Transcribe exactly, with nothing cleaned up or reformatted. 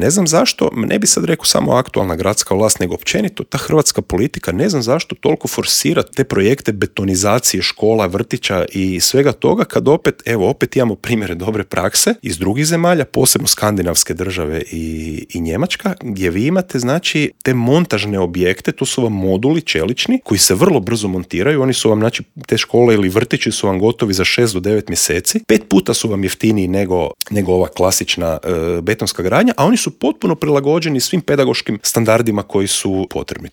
Ne znam zašto, ne bi sad rekao samo aktualna gradska vlast, nego općenito ta hrvatska politika, ne znam zašto toliko forsira te projekte betonizacije škola, vrtića i svega toga, kad opet, evo, opet imamo primjere dobre prakse iz drugih zemalja, posebno skandinavske države i, i Njemačka, gdje vi imate, znači, te montažne objekte, to su vam moduli čelični, koji se vrlo brzo montiraju, oni su vam, znači, te škole ili vrtići su vam gotovi za šest do devet mjeseci, pet puta su vam jeftiniji nego, nego ova klasična e, betonska gradnja, a oni su potpuno prilagođeni svim pedagoškim standardima koji su potrebni.